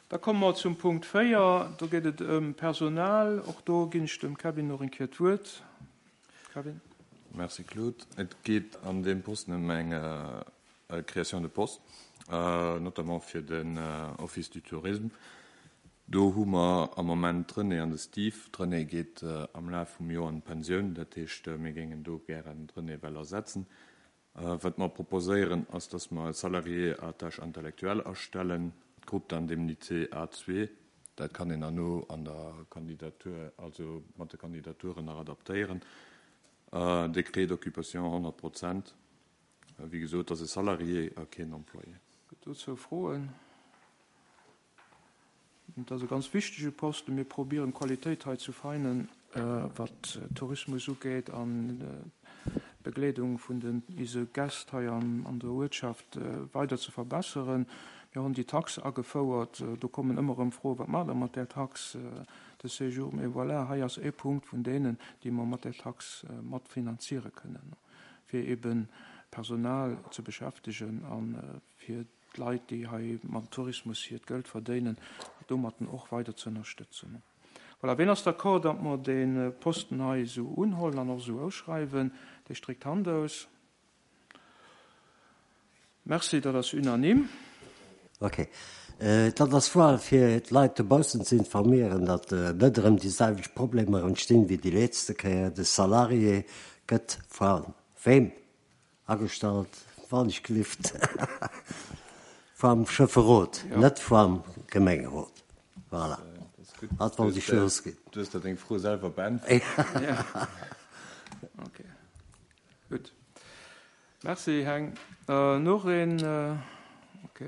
Da komme mer zum Punkt 4. Do geet et ëm Personal. Och do ginn ech dem Kevin nach eng Kéier d'Wuert. Kevin. Merci Claude. Et geet an deem Posten ëm eng Création de poste, notamment fir den Office du Tourisme. Do hu mer am Moment d'Renée an de Steve. D'Renée geet am Laf vum Joer an d'Pensioun, dat heescht, mir géingen do gären d'Renée well ersetzen. Wat mer proposéieren, ass, dass mer e Salarié à tâche intellectuelle astellen, Groupe d'indemnité A2. Dat kann een herno an der Kandidatur, also mat de Kandidaturen nach adaptéieren. Décret d'occupation 100 Prozent. Wéi gesot, et ass e Salarié a keen Employé. Gëtt dozou Froen? Et ass e ganz wichtege Posten. Mir probieren d'Qualitéit hei ze feinen, wat Tourismus ugeet an d'Begleedung vun den ise Gäst hei an der Uertschaft weider ze verbesseren. Mir hunn déi Tax agefouert. Do kommen ëmmer erëm Froen, Wat maacht Der mat där Taxe de séjour? Mee voilà, hei ass ee Punkt vun deenen, déi mer mat där Tax matfinanziere kënnen, fir eebe Personal ze beschäftegen a fir d'Leit, déi hei mam Tourismus hiert Geld verdéinen, domatten och weider ze ënnerstëtzen. Voilà, ween ass d'accord, datt mer dee Posten hei esou unhollen an och esou ausschreiwen? Dee stréckt d'Hand aus. Merci, dat ass unanime. Ok. Dat ass vor allem fir d'Leit dobaussen ze informéieren, datt net erëm déi selwecht Problemer entstinn wéi déi letzte Kéier. De Salarié gëtt va wem Agestallt, wann ech glift, vam Schëfferot, net vam Gemengerot. Voilà, dat wollt ech losginn. Du hues der deng Fro selwer beäntwert. Ok, gutt. Merci, Heng. Noch een? Ok.